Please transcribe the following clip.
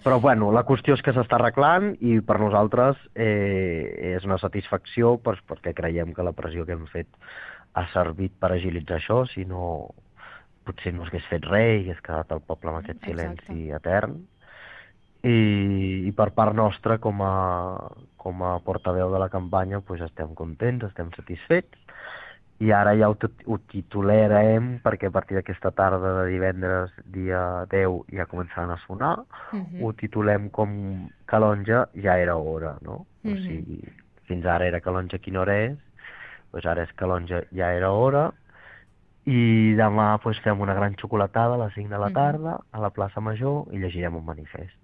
Però bueno, la qüestió és que s'està arreglant i per nosaltres és una satisfacció perquè creiem que la pressió que hem fet ha servit per agilitzar això, si no potser no s'hagués fet res i hagués quedat el poble amb aquest Exacte. silenci etern. I per part nostra, com a portaveu de la campanya, doncs estem contents, estem satisfets, i ara ja ho titularem perquè a partir d'aquesta tarda de divendres, dia 10, ja començaran a sonar. Mhm, Ho titulem com Calonja ja era hora, no? O mhm, sigui, fins ara era Calonja quina hora és, doncs ara és Calonja ja era hora, i demà doncs, fem una gran xocolatada a les 5 de la mhm. tarda a la plaça Major i llegirem un manifest.